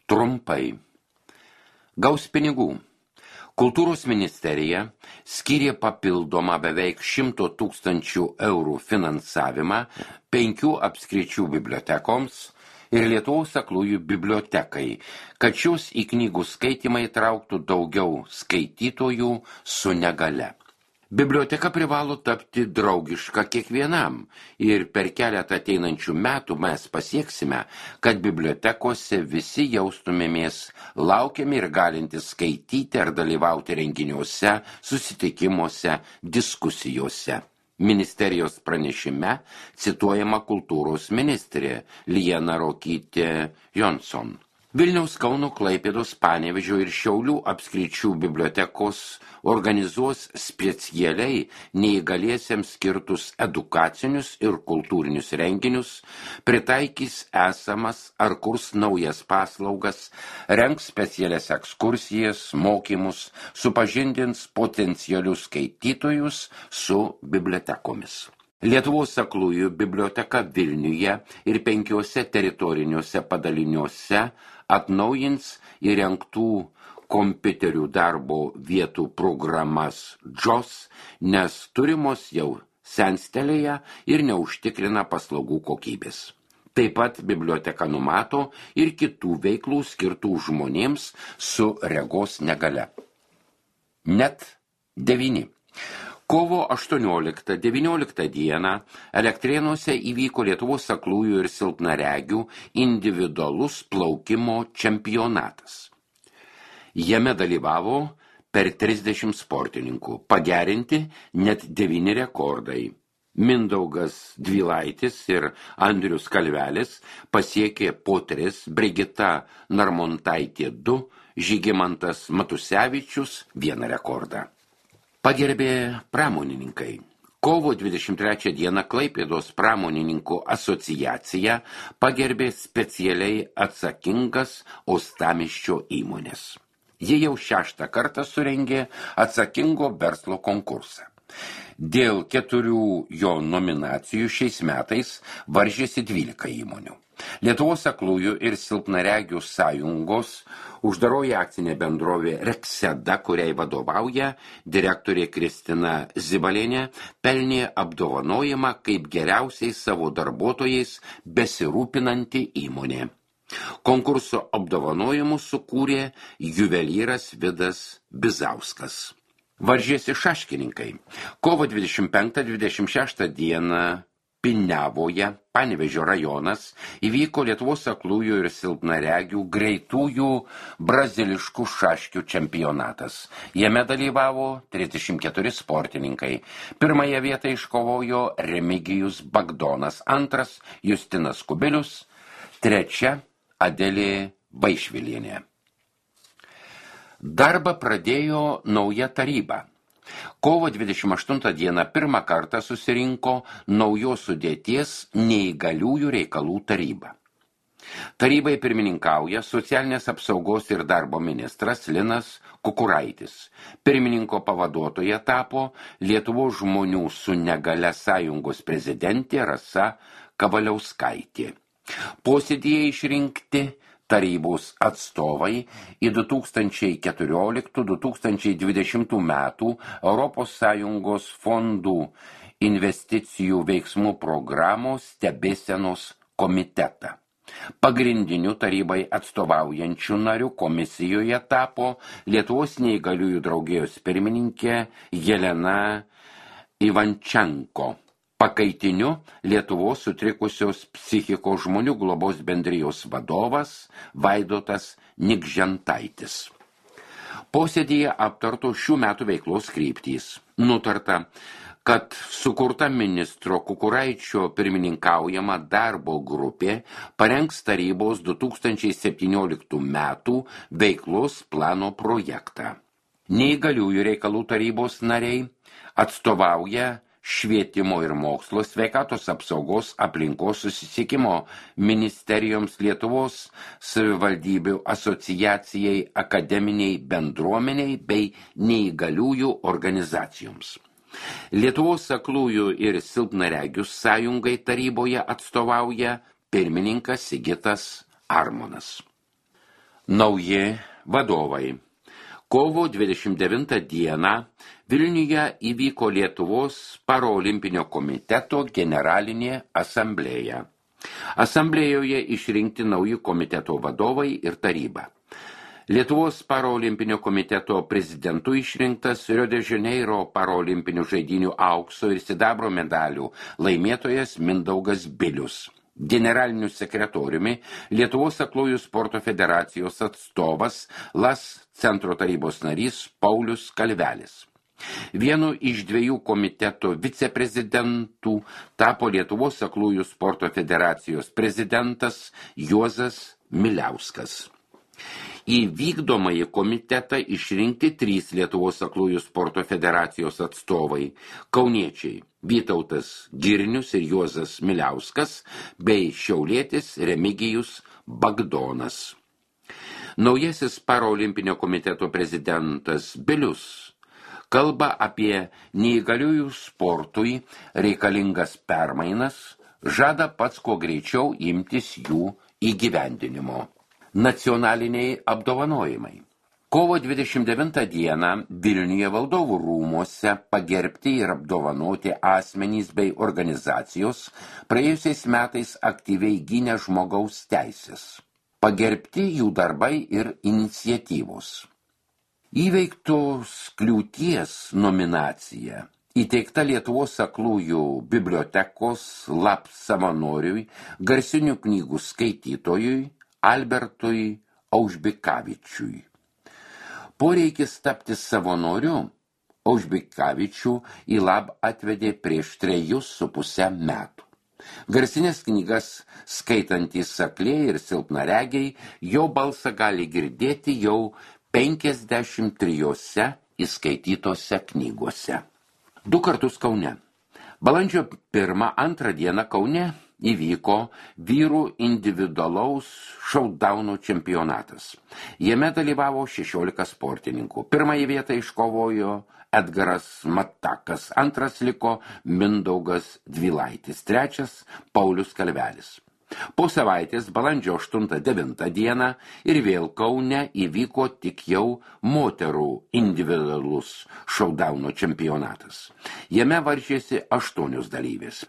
Trumpai. Gaus pinigų. Kultūros ministerija skyrė papildomą beveik 100 000 eurų finansavimą 5 apskričių bibliotekoms ir Lietuvos aklųjų bibliotekai, kad šios į knygų skaitymą įtrauktų daugiau skaitytojų su negale. Biblioteka privalo tapti draugiška kiekvienam ir per keletą ateinančių metų mes pasieksime, kad bibliotekose visi jaustumėmės laukiami ir galintys skaityti ar dalyvauti renginiuose, susitikimuose, diskusijose. Ministerijos pranešime cituojama kultūros ministrė Liana Ruokytė-Johnson. Vilniaus, Kauno, Klaipėdos, Panevėžio ir Šiaulių apskričių bibliotekos organizuos specialiai neįgaliesiems skirtus edukacinius ir kultūrinius renginius, pritaikys esamas ar kurs naujas paslaugas, rengs specialias ekskursijas, mokymus, supažindins potencialius skaitytojus su bibliotekomis. Lietuvos aklųjų biblioteka Vilniuje ir 5 teritoriniuose padaliniuose atnaujins įrengtų kompiuterių darbo vietų programas JOS, nes turimos jau senstelėje ir neužtikrina paslaugų kokybės. Taip pat biblioteka numato ir kitų veiklų skirtų žmonėms su regos negale. Net 9. Kovo 18-19 dieną Elektrėnuose įvyko Lietuvos aklųjų ir silpnaregių individualus plaukimo čempionatas. Jame dalyvavo per 30 sportininkų, pagerinti net 9 rekordai. Mindaugas Dvilaitis ir Andrius Kalvelis pasiekė po 3, Brigita Narmontaitė 2, Žygimantas Matusevičius 1 rekordą. Pagerbė pramonininkai. Kovo 23 dieną Klaipėdos pramonininkų asociacija pagerbė specialiai atsakingas uostamiesčio įmonės. Jie jau 6 kartą surengė atsakingo verslo konkursą. Dėl 4 jo nominacijų šiais metais varžėsi 12 įmonių. Lietuvos aklųjų ir silpnaregių sąjungos uždaroji akcinė bendrovė Rekseda, kuriai vadovauja direktorė Kristina Zibalienė, pelnė apdovanojimą kaip geriausiai savo darbuotojais besirūpinanti įmonė. Konkurso apdovanojimus sukūrė juvelyras Vidas Bizauskas. Varžėsi šaškininkai. Kovo 25-26 dieną Piniavoje, Panevėžio rajonas, įvyko Lietuvos aklųjų ir silpnaregių greitųjų braziliškų šaškių čempionatas. Jame dalyvavo 34 sportininkai. Pirmąją vietą iškovojo Remigijus Bagdonas, 2 Justinas Kubilius, 3 Adelė Vaišvilienė. Darbą pradėjo nauja taryba. Kovo 28 dieną pirmą kartą susirinko naujos sudėties neįgaliųjų reikalų taryba. Tarybai pirmininkauja socialinės apsaugos ir darbo ministras Linas Kukuraitis. Pirmininko pavaduotoja tapo Lietuvos žmonių su negale sąjungos prezidentė Rasa Kavaliauskaitė. Posėdyje išrinkti tarybos atstovai į 2014-2020 metų Europos Sąjungos fondų investicijų veiksmų programos stebėsenos komitetą. Pagrindiniu tarybai atstovaujančių narių komisijoje tapo Lietuvos neįgaliųjų draugijos pirmininkė Jelena Ivančenko. Pakaitiniu Lietuvos sutrikusios psichikos žmonių globos bendrijos vadovas Vaidotas Nikžentaitis. Posėdyje aptarto šių metų veiklos kryptys. Nutarta, kad sukurta ministro Kukuraičio pirmininkaujama darbo grupė parengs tarybos 2017 metų veiklos plano projektą. Neįgaliųjų reikalų tarybos nariai atstovauja Švietimo ir mokslo, sveikatos apsaugos, aplinkos, susisiekimo ministerijoms, Lietuvos savivaldybių asociacijai, akademiniai bendruomeniai bei neįgaliųjų organizacijoms. Lietuvos aklųjų ir silpnaregių sąjungai taryboje atstovauja pirmininkas Sigitas Armonas. Nauji vadovai. Kovo 29 dieną Vilniuje įvyko Lietuvos Parolimpinio komiteto generalinė asamblėja. Asamblėjoje išrinkti nauji komiteto vadovai ir taryba. Lietuvos Parolimpinio komiteto prezidentu išrinktas Rio de Janeiro Parolimpinių žaidynių aukso ir sidabro medalių laimėtojas Mindaugas Bilius. Generaliniu sekretoriumi Lietuvos aklųjų sporto federacijos atstovas LAS centro tarybos narys Paulius Kalvelis. Vienu iš 2 komiteto viceprezidentų tapo Lietuvos aklųjų sporto federacijos prezidentas Juozas Miliauskas. Į vykdomąjį komitetą išrinkti 3 Lietuvos aklųjų sporto federacijos atstovai – kauniečiai Vytautas Girnius ir Juozas Miliauskas bei šiaulietis Remigijus Bagdonas. Naujasis Parolimpinio komiteto prezidentas Bilius kalba apie neįgaliųjų sportui reikalingas permainas, žada pats kuo greičiau imtis jų įgyvendinimo. Nacionaliniai apdovanojimai. Kovo 29 dieną Vilniuje valdovų rūmuose pagerbti ir apdovanoti asmenys bei organizacijos praėjusiais metais aktyviai gynė žmogaus teisės. Pagerbti jų darbai ir iniciatyvos. Įveiktos kliūties nominacija įteikta Lietuvos aklųjų bibliotekos LAP savanoriui, garsinių knygų skaitytojui Albertui Aužbikavičiui. Poreikis tapti savanoriu Aužbikavičių į LAP atvedė prieš 3,5 metų. Garsinės knygas skaitantys akliai ir silpnaregiai jo balsą gali girdėti jau 53 įskaitytose knygose. 2 kartus Kaune. Balandžio 1-2 dieną Kaune įvyko vyrų individualaus šautdaunų čempionatas. Jame dalyvavo 16 sportininkų. Pirmąją vietą iškovojo Edgaras Matakas, antras liko Mindaugas Dvilaitis, trečias Paulius Kalvelis. Po savaitės balandžio 8-9 dieną ir vėl Kaune įvyko tik jau moterų individualus šautdaunų čempionatas. Jame varžėsi 8 dalyvės.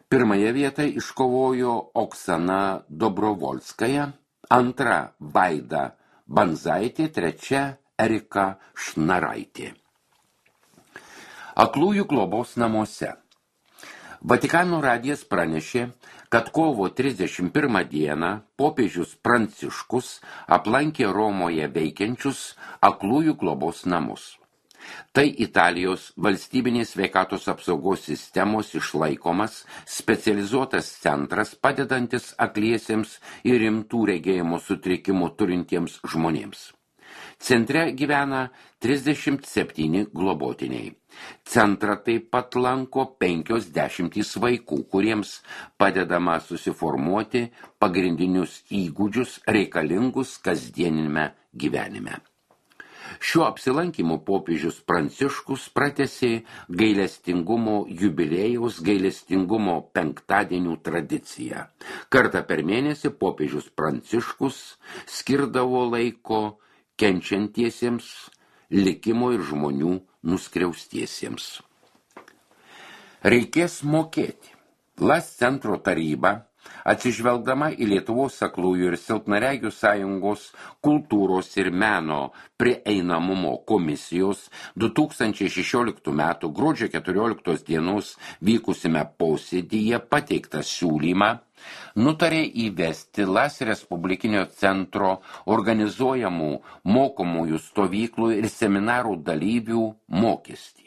Pirmąją vietą iškovojo Oksana Dobrovolskaja, antra Vaida Banzaitė, trečia Erika Šnaraitė. Aklųjų globos namuose. Vatikano radijas pranešė, kad kovo 31 dieną popiežius Pranciškus aplankė Romoje veikiančius aklųjų globos namus. Tai Italijos valstybinės sveikatos apsaugos sistemos išlaikomas specializuotas centras, padedantis akliesiems ir rimtų regėjimo sutrikimų turintiems žmonėms. Centre gyvena 37 globotiniai. Centrą taip pat lanko 50 vaikų, kuriems padedama susiformuoti pagrindinius įgūdžius reikalingus kasdienime gyvenime. Šiuo apsilankymu popiežius Pranciškus pratęsė gailestingumo jubiliejaus gailestingumo penktadienių tradiciją. Kartą per mėnesį popiežius Pranciškus skirdavo laiko kenčiantiesiems, likimo ir žmonių nuskriaustiesiems. Reikės mokėti. LAS centro taryba, atsižvelgdama į Lietuvos aklųjų ir silpnaregių sąjungos kultūros ir meno prieinamumo komisijos 2016 m. gruodžio 14 dienos vykusime posėdyje pateiktą siūlymą, nutarė įvesti LAS Respublikinio centro organizuojamų mokomųjų stovyklų ir seminarų dalyvių mokestį.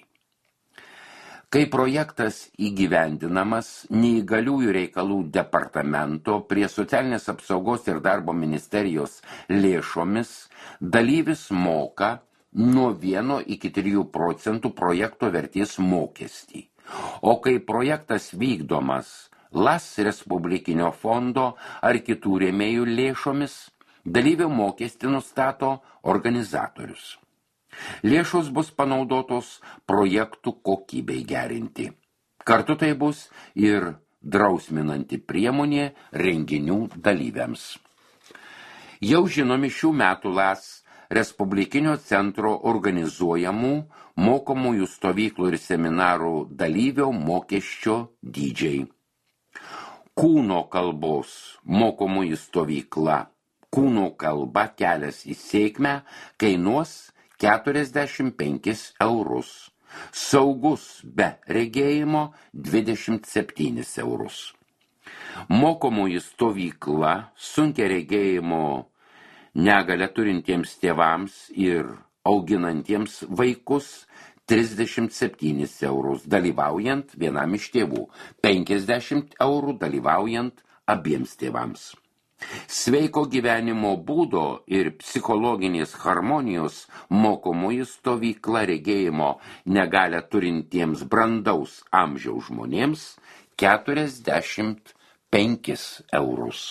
Kai projektas įgyvendinamas neįgaliųjų reikalų departamento prie socialinės apsaugos ir darbo ministerijos lėšomis, dalyvis moka nuo 1 iki 3% projekto vertės mokestį. O kai projektas vykdomas LAS Respublikinio fondo ar kitų rėmėjų lėšomis, dalyvio mokestį nustato organizatorius. Lėšos bus panaudotos projektų kokybei gerinti. Kartu tai bus ir drausminanti priemonė renginių dalyviams. Jau žinomi šių metų LAS Respublikinio centro organizuojamų mokomųjų stovyklų ir seminarų dalyvio mokesčio dydžiai. Kūno kalbos mokomųjų stovykla Kūno kalba kelias į sėkmę kainuos 45 eurus. Saugus be regėjimo 27 eurus. Mokomųjų stovykla sunkia regėjimo negalią turintiems tėvams ir auginantiems vaikus 37 eurus, dalyvaujant vienam iš tėvų, 50 eurų dalyvaujant abiems tėvams. Sveiko gyvenimo būdo ir psichologinės harmonijos mokomųjų stovykla regėjimo negalią turintiems brandaus amžiaus žmonėms 45 eurus.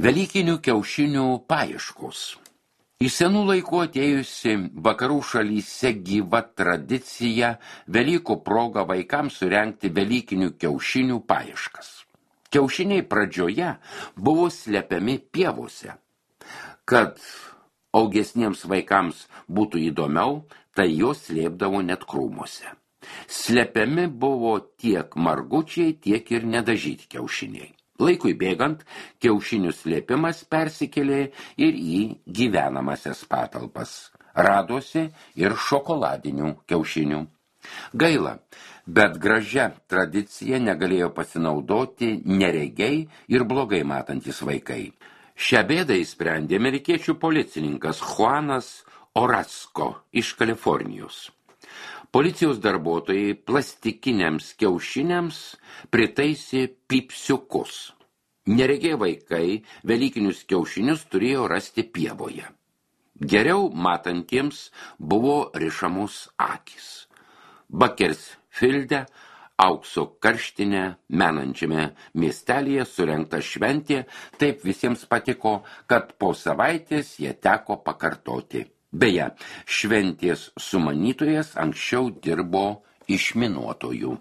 Velykinių kiaušinių paieškos. Iš senų laikų atėjusi vakarų šalyse gyva tradicija Velykų proga vaikams surengti velykinių kiaušinių paieškas. Kiaušiniai pradžioje buvo slepiami pievose. Kad augesniems vaikams būtų įdomiau, tai jos slėpdavo net krūmuose. Slepiami buvo tiek margučiai, tiek ir nedažyti kiaušiniai. Laikui bėgant, kiaušinių slėpimas persikėlė ir į gyvenamasias patalpas. Radosi ir šokoladinių kiaušinių. Gaila, bet gražia tradicija negalėjo pasinaudoti neregiai ir blogai matantis vaikai. Šią bėdą įsprendė amerikiečių policininkas Juanas Orozco iš Kalifornijos. Policijos darbuotojai plastikiniams kiaušiniams pritaisė pypsiukus. Neregiai vaikai velykinius kiaušinius turėjo rasti pievoje. Geriau matantiems buvo rišamos akys. Bakersfilde, aukso karštinę menančiame miestelyje surengta šventė taip visiems patiko, kad po savaitės jie teko pakartoti. Beje, šventės sumanytojas anksčiau dirbo išminuotoju.